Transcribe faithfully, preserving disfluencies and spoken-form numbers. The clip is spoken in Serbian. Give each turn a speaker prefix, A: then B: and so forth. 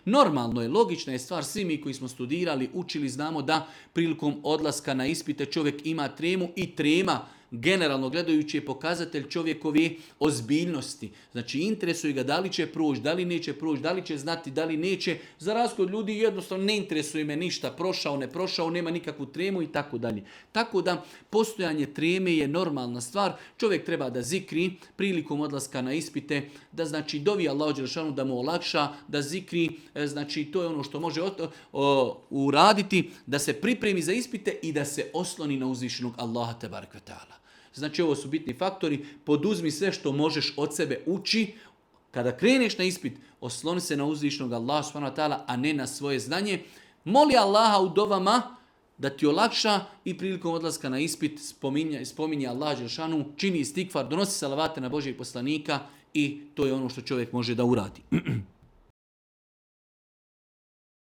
A: Normalno je, logična je stvar, svi mi koji smo studirali, učili, znamo da prilikom odlaska na ispite čovjek ima tremu i trema, generalno gledajući je pokazatelj čovjekove ozbiljnosti. Znači interesuje ga da li će proći, da li neće proći, da li će znati, da li neće. Za razliku od ljudi jednostavno ne interesuje me ništa, prošao, ne prošao, nema nikakvu tremu i tako dalje. Tako da postojanje treme je normalna stvar. Čovjek treba da zikri prilikom odlaska na ispite, da znači dovi Allahu dželešanu da mu olakša, da zikri, znači to je ono što može uraditi, da se pripremi za ispite i da se osloni na uzvišenog Allaha tebarek ve taala. Znači ovo su bitni faktori, poduzmi sve što možeš od sebe, uči, kada kreneš na ispit, osloni se na uzvišenog Allaha subhanahu wa ta'ala, a ne na svoje znanje. Moli Allaha u dovama da ti olakša i prilikom odlaska na ispit spominje, spominje Allah dželešanu, čini istikfar, donosi salavate na Božijeg poslanika i to je ono što čovjek može da uradi.